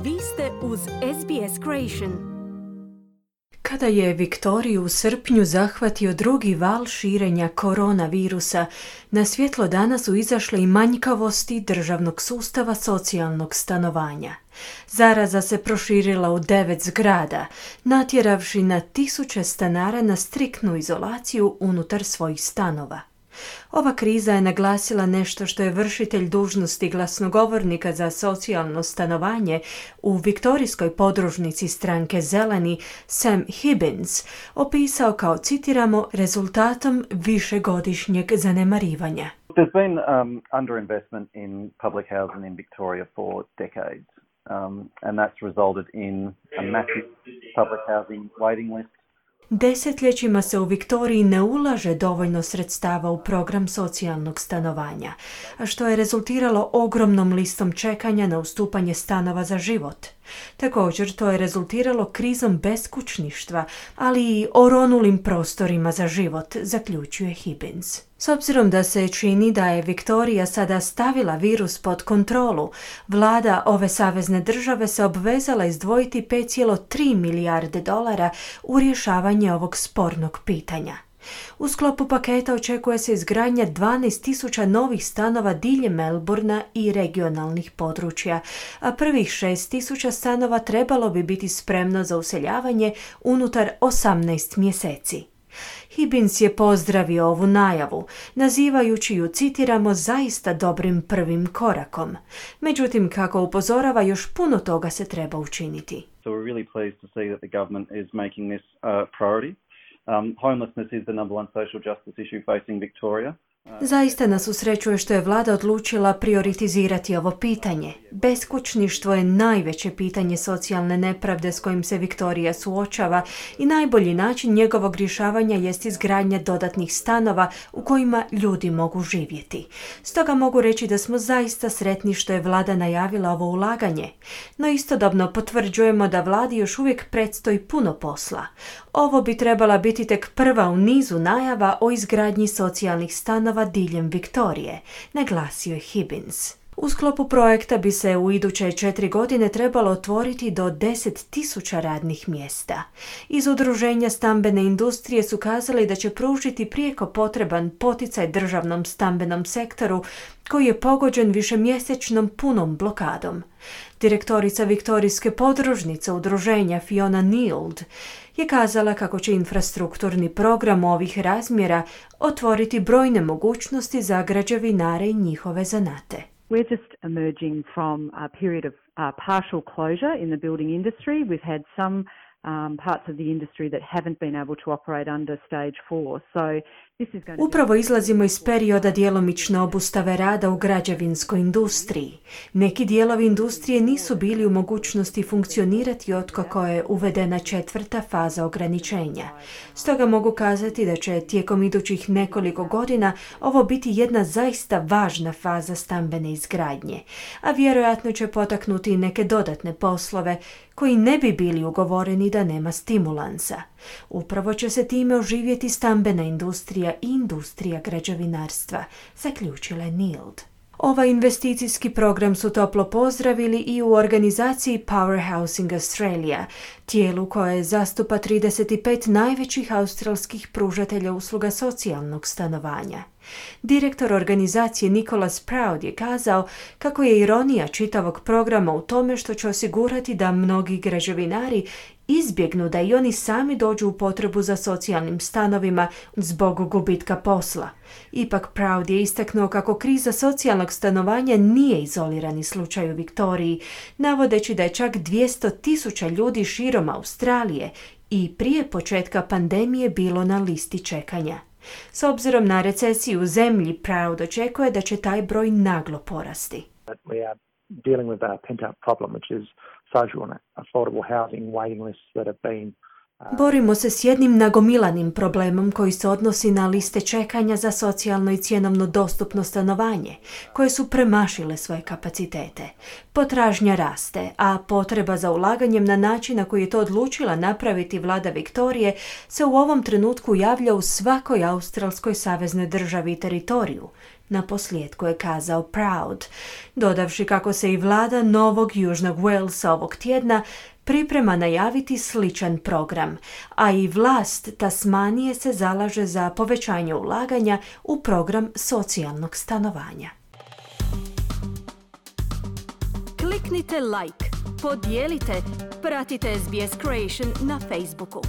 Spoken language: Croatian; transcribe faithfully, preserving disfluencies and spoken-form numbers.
Vi ste uz S B S Creation. Kada je Viktoriju u srpnju zahvatio drugi val širenja koronavirusa, na svjetlo dana su izašle i manjkavosti državnog sustava socijalnog stanovanja. Zaraza se proširila u devet zgrada, natjeravši na tisuće stanara na striktnu izolaciju unutar svojih stanova. Ova kriza je naglasila nešto što je vršitelj dužnosti glasnogovornika za socijalno stanovanje u viktorijskoj podružnici stranke Zeleni Sam Hibbins opisao kao, citiramo, rezultatom višegodišnjeg zanemarivanja. There's been um, underinvestment in public housing in Victoria for decades, um, and that's resulted in a massive public housing waiting list. Desetljećima se u Viktoriji ne ulaže dovoljno sredstava u program socijalnog stanovanja, a što je rezultiralo ogromnom listom čekanja na ustupanje stanova za život. Također to je rezultiralo krizom beskućništva, ali i oronulim prostorima za život, zaključuje Hibbins. S obzirom da se čini da je Viktorija sada stavila virus pod kontrolu, vlada ove savezne države se obvezala izdvojiti pet zarez tri milijarde dolara u rješavanje ovog spornog pitanja. U sklopu paketa očekuje se izgradnja dvanaest tisuća novih stanova diljem Melbourna i regionalnih područja, a prvih šest tisuća stanova trebalo bi biti spremno za useljavanje unutar osamnaest mjeseci. Hibbins je pozdravio ovu najavu, nazivajući ju, citiramo, zaista dobrim prvim korakom. Međutim, kako upozorava, još puno toga se treba učiniti. So we're really pleased to see that the government is making this uh, priority. Um, homelessness is the number one social justice issue facing Victoria. Zaista nas usrećuje što je vlada odlučila prioritizirati ovo pitanje. Beskućništvo je najveće pitanje socijalne nepravde s kojim se Viktorija suočava i najbolji način njegovog rješavanja jest izgradnja dodatnih stanova u kojima ljudi mogu živjeti. Stoga mogu reći da smo zaista sretni što je vlada najavila ovo ulaganje, no istodobno potvrđujemo da vladi još uvijek predstoji puno posla. Ovo bi trebala biti tek prva u nizu najava o izgradnji socijalnih stanova diljem Viktorije, naglasio je Hibbins. U sklopu projekta bi se u iduće četiri godine trebalo otvoriti do deset tisuća radnih mjesta. Iz udruženja stambene industrije su kazali da će pružiti prijeko potreban poticaj državnom stambenom sektoru koji je pogođen višemjesečnom punom blokadom. Direktorica viktorijske podružnice udruženja Fiona Neild je kazala kako će infrastrukturni program ovih razmjera otvoriti brojne mogućnosti za građevinare i njihove zanate. We're just emerging from a period of uh, partial closure in the building industry. We've had some um, parts of the industry that haven't been able to operate under stage four. So this is going to Upravo izlazimo iz perioda djelomične obustave rada u građevinskoj industriji. Neki dijelovi industrije nisu bili u mogućnosti funkcionirati otkako je uvedena četvrta faza ograničenja. Stoga mogu kazati da će tijekom idućih nekoliko godina ovo biti jedna zaista važna faza stambene izgradnje, a vjerojatno će potaknuti i neke dodatne poslove koji ne bi bili ugovoreni da nema stimulansa. Upravo će se time oživjeti stambena industrija i industrija građevinarstva, zaključila je Neild. Ovaj investicijski program su toplo pozdravili i u organizaciji Power Housing Australia, tijelu koje zastupa trideset pet najvećih australskih pružatelja usluga socijalnog stanovanja. Direktor organizacije Nicholas Proud je kazao kako je ironija čitavog programa u tome što će osigurati da mnogi građevinari izbjegnu da i oni sami dođu u potrebu za socijalnim stanovima zbog gubitka posla. Ipak Proud je istaknuo kako kriza socijalnog stanovanja nije izolirani slučaj u Viktoriji, navodeći da je čak dvjesto tisuća ljudi širom Australije i prije početka pandemije bilo na listi čekanja. S obzirom na recesiju u zemlji, Proud očekuje da će taj broj naglo porasti. We are dealing with a pent-up problem, which is social and affordable housing waiting lists that have been Borimo se s jednim nagomilanim problemom koji se odnosi na liste čekanja za socijalno i cjenovno dostupno stanovanje, koje su premašile svoje kapacitete. Potražnja raste, a potreba za ulaganjem na način na koji je to odlučila napraviti vlada Viktorije se u ovom trenutku javlja u svakoj australskoj saveznoj državi i teritoriju. Na posljedku je kazao Proud, dodavši kako se i vlada Novog Južnog Walesa ovog tjedna priprema najaviti sličan program, a i vlast Tasmanije se zalaže za povećanje ulaganja u program socijalnog stanovanja. Kliknite like, podijelite, pratite S B S Creation na Facebooku.